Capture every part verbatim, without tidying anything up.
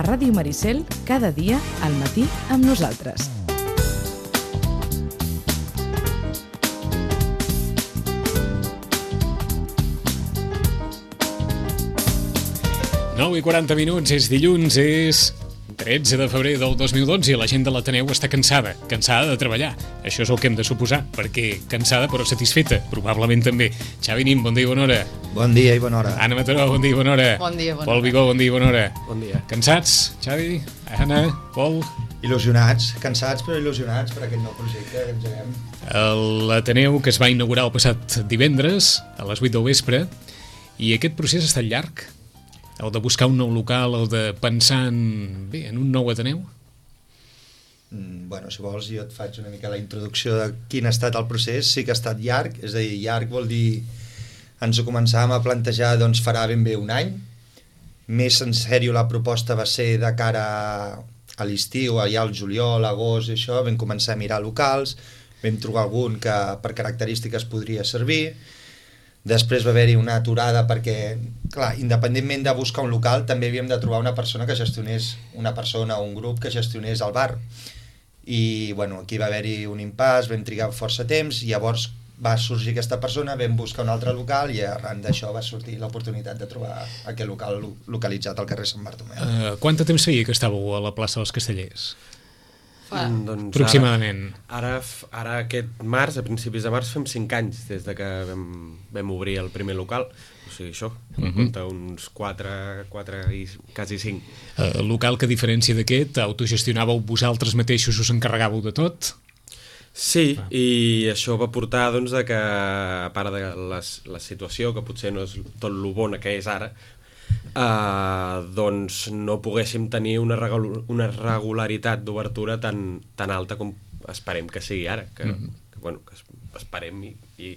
Ràdio Maricel, cada dia al matí amb nosaltres. nou i quaranta minuts, és dilluns, és tretze de febrer del dos mil dotze i la gent de l'Ateneu està cansada, cansada de treballar. Això és el que hem de suposar, perquè cansada però satisfeta, probablement també. Xavi Nin, bon dia i bona hora. Bon dia i bona hora. Anna Mataró, bon dia i bona hora. Bon dia, bona hora. Pol Vigó, bon dia i bona hora. Bon dia. Cansats, Xavi, Anna, Pol? Il·lusionats, cansats però il·lusionats per aquest nou projecte que engeguem. L'Ateneu, que es va inaugurar el passat divendres a les vuit del vespre, i aquest procés ha estat llarg? El de buscar un nou local, el de pensar en, bé, en un nou Ateneu? Mm, bueno, si vols jo et faig una mica la introducció de quin ha estat el procés. Sí que ha estat llarg, és a dir, llarg vol dir ens ho començàvem a plantejar doncs farà ben bé un any. Més en sèrio la proposta va ser de cara a l'estiu, allà al juliol, agost i això, vam començar a mirar locals, vam trobar algun que per característiques podria servir. Després va haver-hi una aturada perquè, clar, independentment de buscar un local, també havíem de trobar una persona que gestionés, una persona o un grup que gestionés el bar. I, bueno, aquí va haver-hi un impàs, vam trigar força temps, i llavors va sorgir aquesta persona, vam buscar un altre local i arran d'això va sortir l'oportunitat de trobar aquest local localitzat al carrer Sant Bartomeu. Uh, quant de temps feia que estàveu a la plaça dels Castellers? Fa. Doncs aproximadament. Ara, ara, ara aquest març, a principis de març, fem cinc anys des de que vam, vam obrir el primer local. O sigui, això, em Uh-huh. compta uns quatre, quatre i quasi cinc. Uh, el local, que a diferència d'aquest, autogestionàveu vosaltres mateixos, us encarregàveu de tot? Sí, Ah. i això va portar doncs, a que, a part de les, la situació, que potser no és tot lo bona que és ara, Uh, doncs no poguéssim tenir una, regul una regularitat d'obertura tan, tan alta com esperem que sigui ara, que, Mm-hmm. que, bueno, que esperem i, i,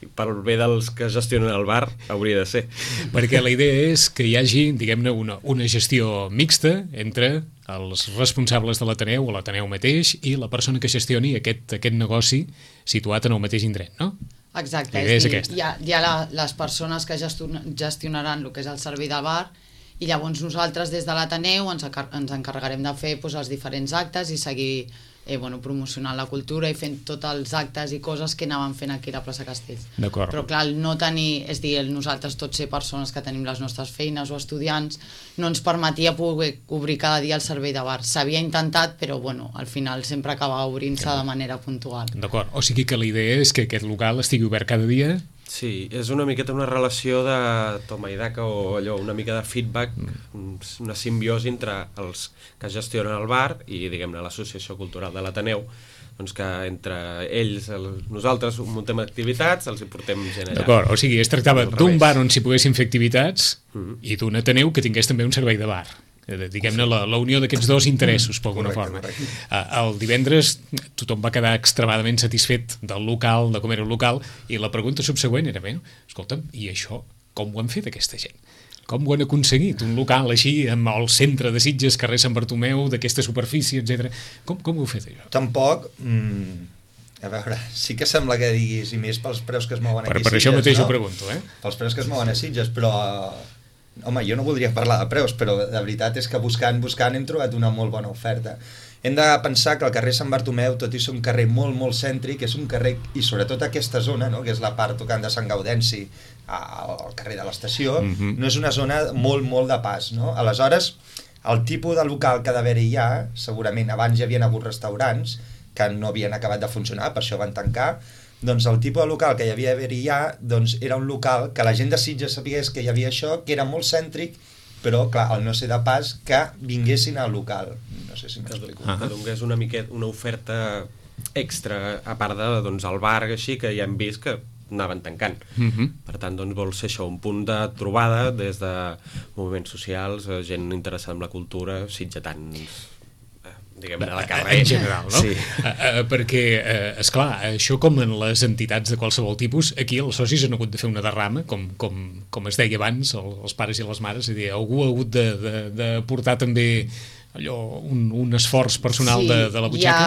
i pel bé dels que gestionen el bar hauria de ser. Perquè la idea és que hi hagi, diguem-ne, una, una gestió mixta entre els responsables de l'Ateneu o l'Ateneu mateix i la persona que gestioni aquest, aquest negoci situat en el mateix indret, no? Exacte, La idea és és dir, aquesta. hi ha, hi ha la, les persones que gestionaran el que és el servei del bar i llavors nosaltres des de l'Ateneu ens, ens encarregarem de fer doncs, els diferents actes i seguir eh, bueno, promocionant la cultura i fent tots els actes i coses que anàvem fent aquí a la plaça Castells. D'acord. Però clar, el no tenir, és dir, el nosaltres tots ser persones que tenim les nostres feines o estudiants no ens permetia poder obrir cada dia el servei de bar. S'havia intentat, però bueno, al final sempre acabava obrint-se de manera puntual. D'acord, o sigui que la idea és que aquest local estigui obert cada dia. Sí, és una miqueta una relació de toma i daca o allò, una mica de feedback, una simbiosi entre els que gestionen el bar i, diguem-ne, l'associació cultural de l'Ateneu, doncs que entre ells, el, nosaltres muntem activitats, els hi portem gent allà. D'acord, o sigui, es tractava Al d'un revés. bar on s'hi poguessin fer activitats Mhm. i d'un Ateneu que tingués també un servei de bar. Eh, Diguem-ne, la, la unió d'aquests dos interessos, per alguna Correcte, forma. correcte. Eh, El divendres tothom va quedar extremadament satisfet del local, de com era el local, i la pregunta subsegüent era, bé, escolta'm, i això com ho han fet aquesta gent? Com ho han aconseguit? Un local així, amb el centre de Sitges, carrer Sant Bartomeu, d'aquesta superfície, etcètera. Com, com ho heu fet, això? Tampoc, mm, a veure, sí que sembla que diguis, i més pels preus que es mouen Per, aquí per a Sitges, això mateix no? ho pregunto, eh? Pels preus que es mouen a Sitges, però home, jo no voldria parlar de preus, però de veritat és que buscant, buscant hem trobat una molt bona oferta. Hem de pensar que el carrer Sant Bartomeu, tot i ser un carrer molt, molt cèntric, és un carrer, i sobretot aquesta zona, no?, que és la part tocant de Sant Gaudenci al carrer de l'estació, Mhm. no és una zona molt, molt de pas, no? Aleshores, el tipus de local que ha d'haver-hi ja, segurament abans hi havien hagut restaurants que no havien acabat de funcionar, per això van tancar, doncs el tipus de local que hi havia d'haver-hi ja, doncs era un local que la gent de Sitges sabés que hi havia això, que era molt cèntric, però clar, al no ser de pas, que vinguessin al local. No sé si m'explico. Ah. Que donés una miqueta, una oferta extra, a part de, doncs, el bar, així, que ja hem vist que anaven tancant. Mhm. Per tant, doncs, vol ser això, un punt de trobada des de moviments socials, eh, gent interessada en la cultura, sitgetans, eh, diguem-ne, de la carrer. En general, no? Sí. Uh, uh, perquè, uh, esclar, això com en les entitats de qualsevol tipus, aquí els socis han hagut de fer una derrama, com, com, com es deia abans, el, els pares i les mares, és a dir, algú ha hagut de, de, de portar també allò, un, un esforç personal sí, de, de la butxaca?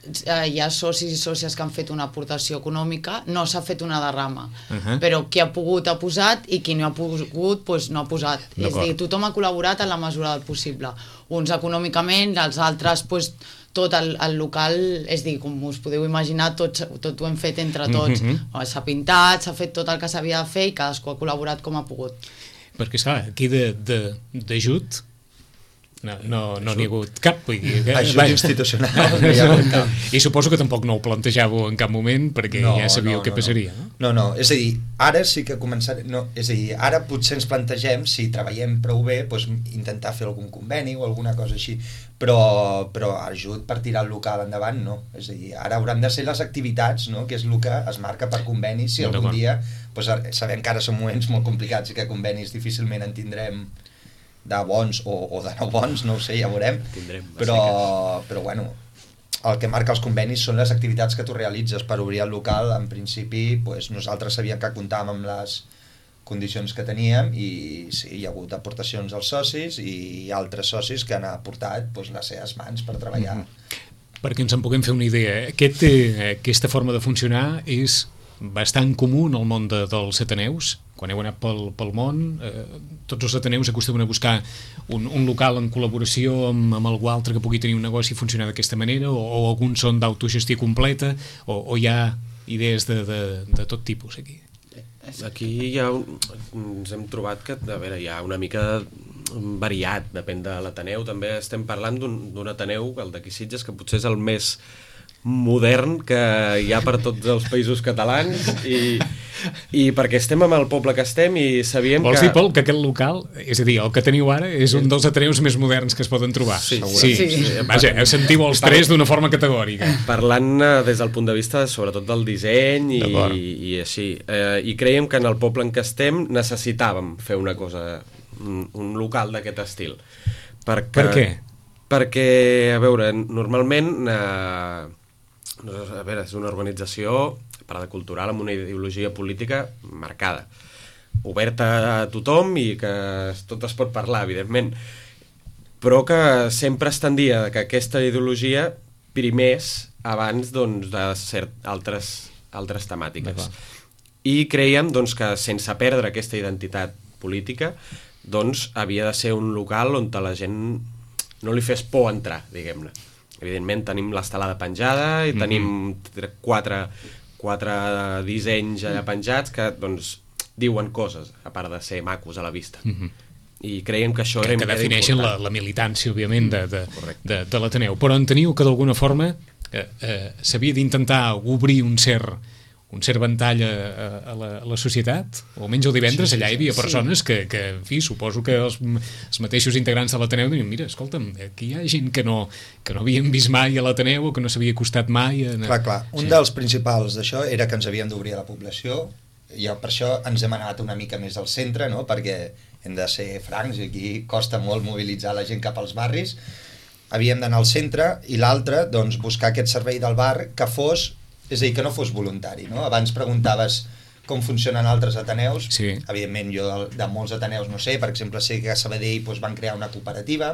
Hi ha, hi ha socis i sòcies que han fet una aportació econòmica, no s'ha fet una derrama, Uh -huh. però qui ha pogut ha posat i qui no ha pogut pues, no ha posat. És a dir, tothom ha col·laborat en la mesura del possible. Uns econòmicament, els altres pues, tot el, el local, és a dir, com us podeu imaginar, tot, tot ho hem fet entre tots. Uh -huh. S'ha pintat, s'ha fet tot el que s'havia de fer i cadascú ha col·laborat com ha pogut. Perquè, esclar, aquí d'ajut no n'hi no, no ha hagut cap. Vull dir, que, ajut vaja, institucional. No, no hi ha hagut cap. I suposo que tampoc no ho plantejàveu en cap moment perquè no, ja sabíeu no, què no, passaria. No. no, no, és a dir, ara sí que començarem... No, és a dir, ara potser ens plantegem, si treballem prou bé, doncs, intentar fer algun conveni o alguna cosa així, però, però ajut per tirar el local endavant, no. És a dir, ara hauran de ser les activitats, no?, que és el que es marca per convenis, si algun dia... Doncs, sabem que ara són moments molt complicats i que convenis difícilment en tindrem de bons o, o de no bons, no ho sé, ja veurem. Tindrem, però, però bueno, el que marca els convenis són les activitats que tu realitzes per obrir el local. En principi, pues, nosaltres sabíem que comptàvem amb les condicions que teníem i sí, hi ha hagut aportacions als socis i altres socis que han aportat pues, les seves mans per treballar. Mm-hmm. Perquè ens en puguem fer una idea, Aquest, eh, aquesta forma de funcionar és bastant comú en el món de, dels ateneus. Quan heu anat pel, pel món, eh, tots els ateneus acostumen a buscar un, un local en col·laboració amb, amb algú altre que pugui tenir un negoci i funcionar d'aquesta manera, o, o alguns són d'autogestió completa, o, o hi ha idees de, de, de tot tipus aquí. Aquí hi ha un, ens hem trobat que a veure, hi ha una mica variat, depèn de l'Ateneu. També estem parlant d'un Ateneu, el d'aquí Sitges, que potser és el més modern que hi ha per tots els països catalans i, i perquè estem amb el poble que estem i sabíem Vols que... dir, Pol, que aquest local, és a dir, el que teniu ara és un dels ateneus més moderns que es poden trobar? Sí, sí. sí. sí. Vaja, sentiu els tres d'una forma categòrica. Parlant des del punt de vista sobretot del disseny i, i, i així, eh, i creiem que en el poble en què estem necessitàvem fer una cosa, un, un local d'aquest estil. Perquè, per què? Perquè, a veure, normalment eh, a veure, és una organització paracultural amb una ideologia política marcada, oberta a tothom i que tot es pot parlar, evidentment, però que sempre es tendia que aquesta ideologia primés abans doncs, de cert, altres, altres temàtiques. I creiem doncs, que sense perdre aquesta identitat política doncs, havia de ser un local on la gent no li fes por entrar, diguem-ne. Evidentment tenim l'estelada penjada i tenim mm-hmm. quatre, quatre dissenys allà penjats que doncs, diuen coses, a part de ser macos a la vista. Mm-hmm. I creiem que això que, era, que defineixen la, la militància, òbviament, de, de, de, de l'Ateneu. Però enteniu que d'alguna forma eh, eh, s'havia d'intentar obrir un cert un cert ventall a, a, la, a la societat, o almenys el divendres sí, sí, allà hi havia persones sí. que, que, en fi, suposo que els, els mateixos integrants de l'Ateneu diuen, mira, escolta'm, aquí hi ha gent que no, que no havien vist mai a l'Ateneu o que no s'havia costat mai. A... Clar, clar, un sí. dels principals d'això era que ens havíem d'obrir a la població i per això ens hem anat una mica més al centre, no? Perquè hem de ser francs i aquí costa molt mobilitzar la gent cap als barris. Havíem d'anar al centre i l'altre, doncs, buscar aquest servei del bar que fos és a dir, que no fos voluntari, no? Abans preguntaves com funcionen altres ateneus, sí. Evidentment jo de, de molts ateneus no sé, per exemple sé que a Sabadell doncs, van crear una cooperativa,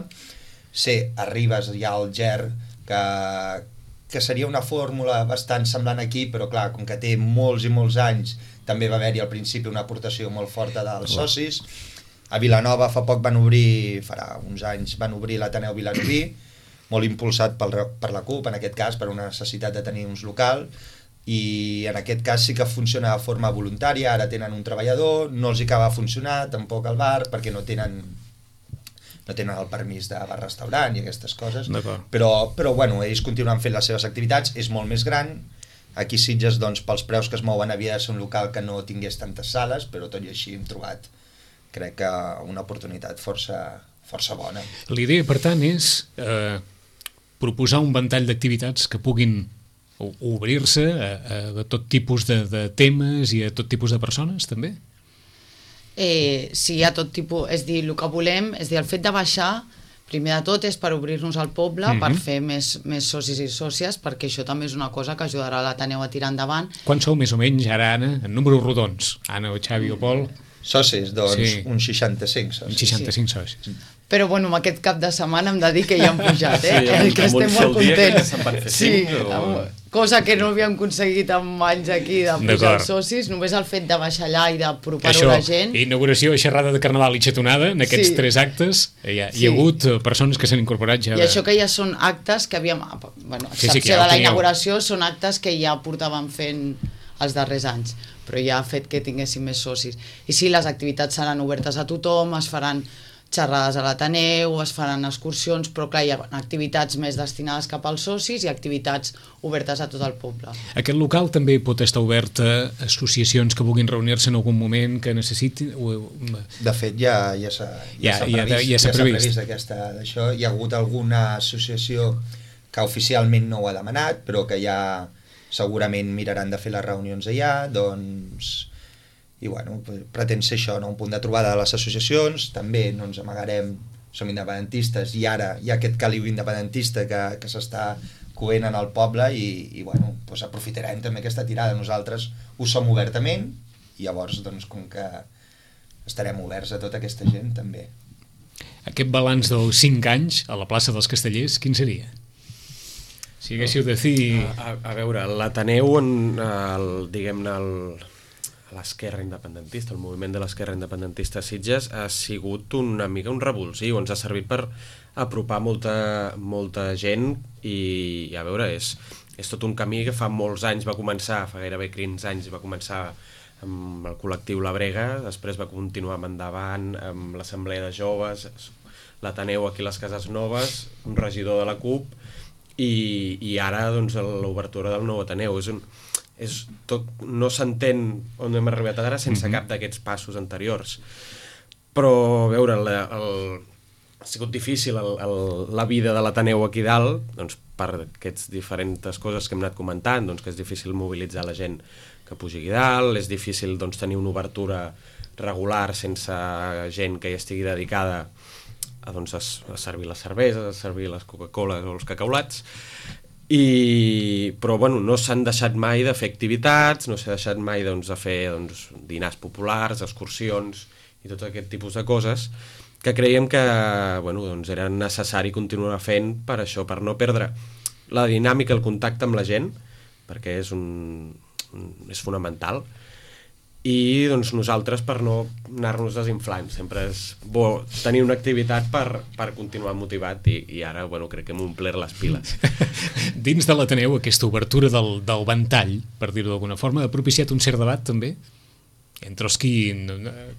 sé, a Ribes hi ha el G E R, que, que seria una fórmula bastant semblant aquí, però clar, com que té molts i molts anys, també va haver-hi al principi una aportació molt forta dels oh. socis. A Vilanova fa poc van obrir, farà uns anys, van obrir l'Ateneu Vilanoví, molt impulsat pel, per la CUP, en aquest cas, per una necessitat de tenir uns local, i en aquest cas sí que funciona de forma voluntària, ara tenen un treballador, no els hi acaba de funcionar, tampoc al bar, perquè no tenen, no tenen el permís de bar-restaurant i aquestes coses, però, però bueno, ells continuen fent les seves activitats, és molt més gran, aquí Sitges, doncs, pels preus que es mouen havia de ser un local que no tingués tantes sales, però tot i així hem trobat, crec que una oportunitat força, força bona. L'idea, per tant, és... Eh... proposar un ventall d'activitats que puguin obrir-se a, a tot tipus de, de temes i a tot tipus de persones, també? Eh, sí, a tot tipus. És dir, el que volem, és dir, el fet de baixar, primer de tot és per obrir-nos al poble, mm-hmm. per fer més, més socis i sòcies, perquè això també és una cosa que ajudarà l'Ateneu a tirar endavant. Quan sou més o menys, ara, Anna, en números rodons? Anna o Xavi o Pol? Socis, doncs Sí. uns seixanta-cinc socis. seixanta-cinc socis. Però bueno, amb aquest cap de setmana hem de dir que ja han pujat, eh? Sí, el que amb un estem sol molt dia que contents. se'n van fer Sí, cinc, o- amb- cosa que no havíem aconseguit amb anys aquí de pujar D'acord. els socis, només el fet de baixar allà i d'apropar-ho Això, a la gent. inauguració, xerrada de Carnaval i xatonada, en aquests Sí. tres actes hi ha, hi Sí. ha hagut eh, persones que s'han incorporat ja. I de- això que ja són actes que havíem... Bueno, a Sí, sí, excepció que ja ho de la teníeu. inauguració, són actes que ja portàvem fent els darrers anys, però ja ha fet que tinguéssim més socis. I sí, les activitats seran obertes a tothom, es faran xerrades a l'Ateneu, es faran excursions, però clar, hi ha activitats més destinades cap als socis i activitats obertes a tot el poble. Aquest local també pot estar obert a associacions que vulguin reunir-se en algun moment, que necessitin... o- De fet, ja, ja s'ha Ja- ja, ja- previst, ja s'ha ja s'ha previst. previst aquesta, d'això. Hi ha hagut alguna associació que oficialment no ho ha demanat, però que ja segurament miraran de fer les reunions allà, doncs... I bueno, pretén ser això, no? Un punt de trobada de les associacions, també no ens amagarem, som independentistes i ara hi ha aquest caliu independentista que, que s'està coent en el poble i, i bueno, doncs aprofitarem també aquesta tirada. Nosaltres ho som obertament i llavors, doncs, com que estarem oberts a tota aquesta gent, també. Aquest balanç dels cinc anys a la plaça dels Castellers, quin seria? Si haguéssiu de dir... A, a, a veure, l'Ateneu, en el, diguem-ne, el, l'esquerra independentista, el moviment de l'esquerra independentista a Sitges ha sigut una mica un revulsiu, ens ha servit per apropar molta, molta gent i, i a veure, és, és tot un camí que fa molts anys va començar, fa gairebé quinze anys va començar amb el col·lectiu La Brega, després va continuar amb Endavant, amb l'Assemblea de Joves, l'Ateneu aquí a les Cases Noves, un regidor de la CUP i, i ara doncs l'obertura del nou Ateneu. És un, és tot, no s'entén on hem arribat ara sense cap d'aquests passos anteriors, però a veure el, el, ha sigut difícil el, el, la vida de l'Ateneu aquí dalt, doncs per aquestes diferents coses que hem anat comentant, doncs que és difícil mobilitzar la gent que pugi aquí dalt, és difícil doncs, tenir una obertura regular sense gent que hi estigui dedicada a, doncs, a, a servir les cerveses, a servir les Coca-Coles o els cacaulats. I, però bueno, no s'han deixat mai de fer activitats, no s'ha deixat mai doncs, de fer doncs, dinars populars, excursions i tot aquest tipus de coses que creiem que bueno, doncs, era necessari continuar fent per això, per no perdre la dinàmica, el contacte amb la gent, perquè és, un, un, és fonamental, i doncs, nosaltres per no anar-nos desinflant, sempre és bo tenir una activitat per, per continuar motivat i, i ara bueno, crec que hem omplert les piles. Dins de l'Ateneu, aquesta obertura del, del ventall, per dir-ho d'alguna forma, ha propiciat un cert debat també? Entre els qui,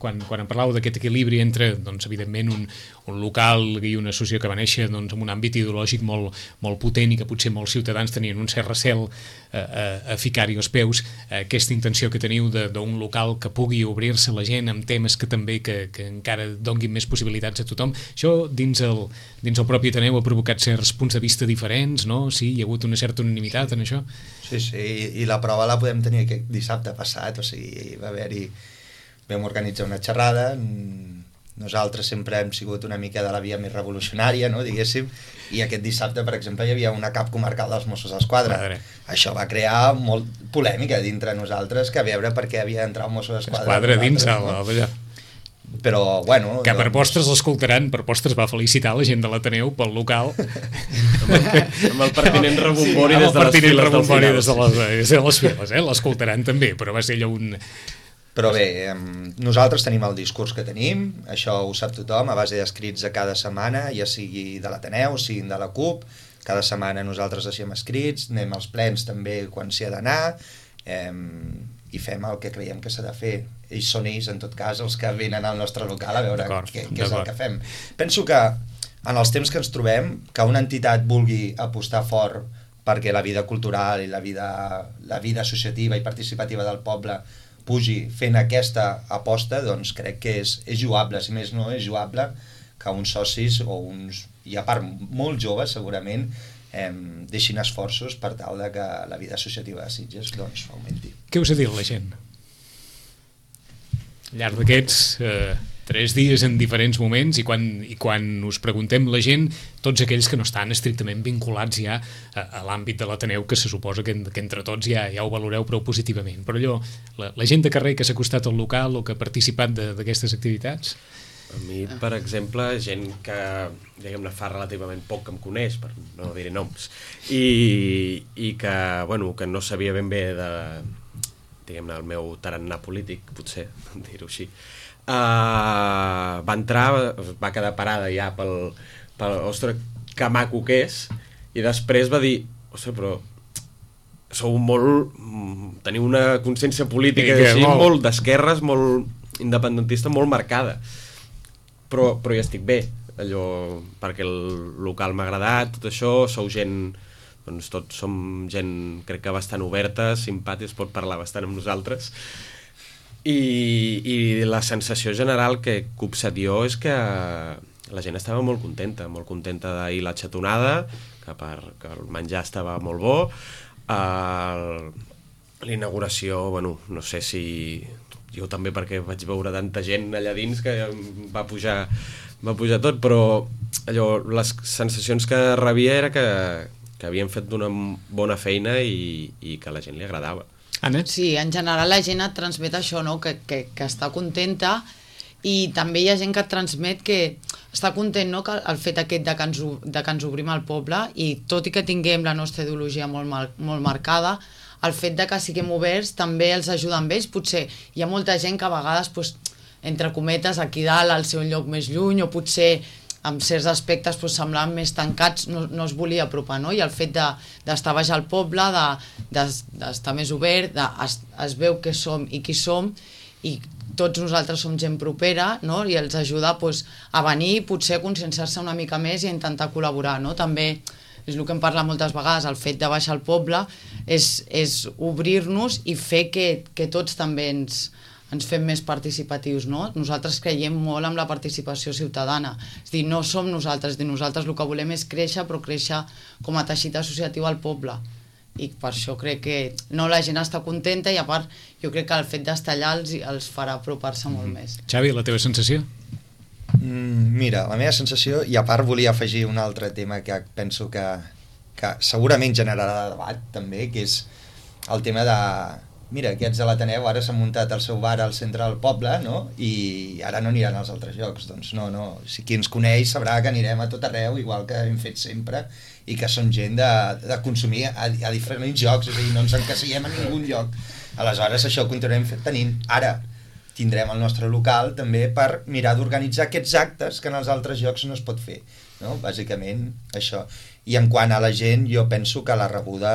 quan, quan em parlàveu d'aquest equilibri entre, doncs, evidentment, un, un local i una associació que va néixer doncs, amb un àmbit ideològic molt, molt potent i que potser molts ciutadans tenien un cert recel a, a, a ficar-hi els peus, aquesta intenció que teniu d'un local que pugui obrir-se a la gent amb temes que també que, que encara donguin més possibilitats a tothom, això dins el, dins el propi Ateneu ha provocat certs punts de vista diferents, no? Sí, hi ha hagut una certa unanimitat en això? Sí, sí, i, i la prova la podem tenir aquest dissabte passat, o sigui, va haver-hi, vam organitzar una xerrada, nosaltres sempre hem sigut una mica de la via més revolucionària, no, diguéssim, i aquest dissabte, per exemple, hi havia una cap comarcal dels Mossos d'Esquadra. Madre. Això va crear molt polèmica dintre nosaltres, que a veure per què havia d'entrar un Mosso d'Esquadra. Esquadra dins el... No? Però, bueno... Que per doncs... postres l'escoltaran, per postres va felicitar la gent de l'Ateneu pel local. amb, el, amb el pertinent rebombori Sí, des de les files del rebombori final. des de les, des de les files, eh? L'escoltaran també, però va ser allò un... Però bé, nosaltres tenim el discurs que tenim, això ho sap tothom, a base d'escrits a cada setmana, ja sigui de l'Ateneu, sigui de la CUP, cada setmana nosaltres deixem escrits, anem als plens també quan s'hi ha d'anar, eh, i fem el que creiem que s'ha de fer. Ells són ells, en tot cas, els que venen al nostre local a veure què, què és el que fem. Penso que en els temps que ens trobem, que una entitat vulgui apostar fort perquè la vida cultural i la vida, la vida associativa i participativa del poble pugi fent aquesta aposta, doncs crec que és, és lloable, si més no és lloable que uns socis o uns, i a part molt joves segurament, eh, deixin esforços per tal de que la vida associativa de Sitges doncs augmenti. Què us ha dit la gent? Al llarg d'aquests eh, tres dies en diferents moments, i quan, i quan us preguntem la gent, tots aquells que no estan estrictament vinculats ja a, a l'àmbit de l'Ateneu, que se suposa que, que entre tots ja, ja ho valoreu prou positivament. Però allò, la, la gent de carrer que s'ha acostat al local o que ha participat d'aquestes activitats... A mi, per exemple, gent que, diguem-ne, fa relativament poc que em coneix, per no dir noms, i, i que, bueno, que no sabia ben bé de, diguem-ne, el meu tarannà polític, potser, dir-ho així, uh, va entrar, va quedar parada ja pel, pel ostres, que maco que és, i després va dir, ostres, però sou molt... teniu una consciència política sí, així, molt, molt d'esquerres, molt independentista, molt marcada. Però, però ja estic bé, allò, perquè el local m'ha agradat, tot això, sou gent, doncs tots som gent, crec que bastant oberta, simpàtica, es pot parlar bastant amb nosaltres, i, i la sensació general que he copsat jo és que la gent estava molt contenta, molt contenta d'ahir la xatonada, que, per, que el menjar estava molt bo, uh, l'inauguració, bueno, no sé si... jo també perquè vaig veure tanta gent allà dins que va pujar, va pujar tot, però allò, les sensacions que rebia era que, que havien fet una bona feina i, i que a la gent li agradava. Anna? Sí, en general la gent et transmet això, no? que, que, que està contenta, i també hi ha gent que et transmet que està content, no? que el fet aquest de que, ens, de que ens obrim al poble, i tot i que tinguem la nostra ideologia molt, mar, molt marcada, el fet de que siguem oberts també els ajuda amb ells. Potser hi ha molta gent que a vegades, doncs, entre cometes, aquí dalt, al seu lloc més lluny, o potser amb certs aspectes doncs, semblaven més tancats, no, no es volia apropar, no? I el fet d'estar de, baix al poble, d'estar de, de, més obert, de, es, es veu què som i qui som, i tots nosaltres som gent propera, no? I els ajuda doncs, a venir, potser a conscienciar-se una mica més i a intentar col·laborar, no? També és el que em parla moltes vegades, el fet de baixar al poble és, és obrir-nos i fer que, que tots també ens, ens fem més participatius, no? Nosaltres creiem molt en la participació ciutadana, és dir, no som nosaltres, és dir, nosaltres el que volem és créixer, però créixer com a teixit associatiu al poble, i per això crec que no, la gent està contenta, i a part jo crec que el fet d'estar allà els, els farà apropar-se molt mm. més. Xavi, la teva sensació? Mm, mira, la meva sensació, i a part volia afegir un altre tema que penso que, que segurament generarà debat també, que és el tema de, mira, aquests de l'Ateneu ara s'han muntat el seu bar al centre del poble, no? I ara no aniran als altres llocs. Doncs no, no, si qui ens coneix sabrà que anirem a tot arreu, igual que hem fet sempre, i que som gent de, de consumir a, a diferents llocs, és a dir, no ens encasillem a ningun lloc. Aleshores això ho continuarem tenint. Ara tindrem el nostre local també per mirar d'organitzar aquests actes que en els altres llocs no es pot fer, no? Bàsicament això. I en quant a la gent, jo penso que la rebuda,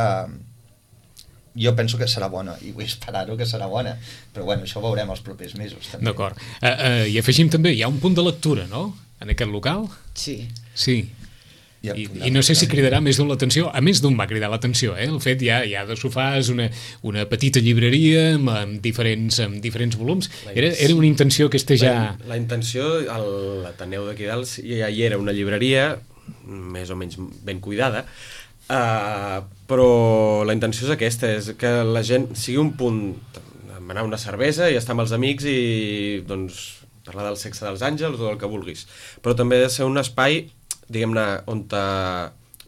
jo penso que serà bona, i vull esperar-ho que serà bona, però bueno, això ho veurem els propers mesos també. D'acord. Uh, uh, I afegim també, hi ha un punt de lectura, no?, en aquest local? Sí. Sí. I, i no sé si cridarà més d'un l'atenció, a més d'un va cridar l'atenció, eh? El fet ja, ja de sofàs, una, una petita llibreria amb, amb, diferents, amb diferents volums, era, era una intenció que este ja... La, la intenció, a l'Ateneu d'aquí dalt ja hi era una llibreria més o menys ben cuidada, uh, però la intenció és aquesta, és que la gent sigui un punt, demanar una cervesa i estar amb els amics i doncs parlar del sexe dels àngels o del que vulguis, però també ha de ser un espai, diguem-ne, on te,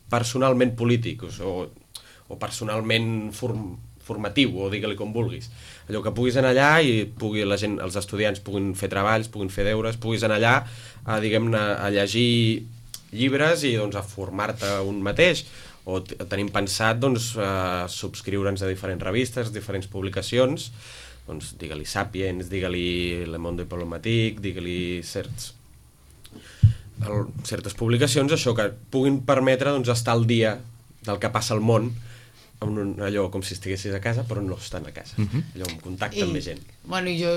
personalment polític o, o personalment form, formatiu, o digue-li com vulguis. Allò que puguis anar allà i pugui la gent, els estudiants puguin fer treballs, puguin fer deures, puguis anar allà a, diguem-ne, a llegir llibres i doncs, a formar-te un mateix, o tenim pensat doncs, a subscriure'ns a diferents revistes, diferents publicacions, doncs digue-li Sapiens, digue-li Le Monde Diplomatique, digue-li certs el, certes publicacions, això que puguin permetre doncs, estar al dia del que passa al món, amb un, allò com si estiguessis a casa però no estan a casa, uh-huh. allò en contacte I, amb més gent. Bueno, jo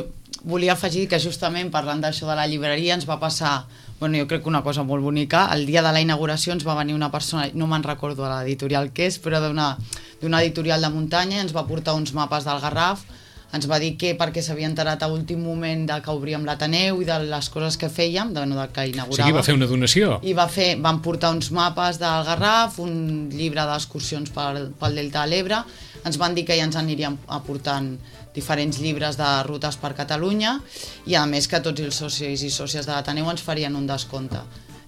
volia afegir que justament parlant d'això de la llibreria ens va passar, bueno, jo crec que una cosa molt bonica, el dia de la inauguració ens va venir una persona, no me'n recordo a l'editorial que és, però d'una d'una editorial de muntanya, ens va portar uns mapes del Garraf, ens va dir que perquè s'havia enterat a últim moment de que obríem l'Ateneu i de les coses que fèiem, de, no, de que inauguràvem. O sigui, va fer una donació. I va fer, van portar uns mapes del Garraf, un llibre d'excursions pel, pel Delta de l'Ebre, ens van dir que ja ens anirien aportant diferents llibres de rutes per Catalunya i a més que tots els socis i sòcies de l'Ateneu ens farien un descompte.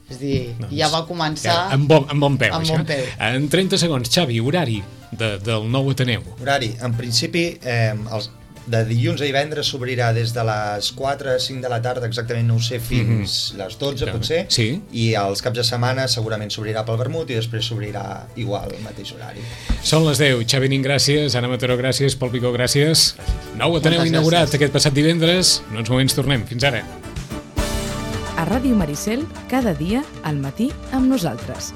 És a dir, doncs, ja va començar... Ja, amb, bon, amb bon peu, amb això. Bon peu. En trenta segons, Xavi, horari de, del nou Ateneu. Horari, en principi, eh, els, de dilluns a divendres s'obrirà des de les quatre a cinc de la tarda, exactament no ho sé, fins mm-hmm. les dotze potser, sí. I els caps de setmana segurament s'obrirà pel vermut i després s'obrirà igual el mateix horari. Són les deu. Xavi Nin, gràcies. Anna Mataró, gràcies. Pol Picó, gràcies. Nou Ateneu Moltes inaugurat gràcies. aquest passat divendres. En uns moments tornem. Fins ara. A Ràdio Maricel, cada dia al matí amb nosaltres.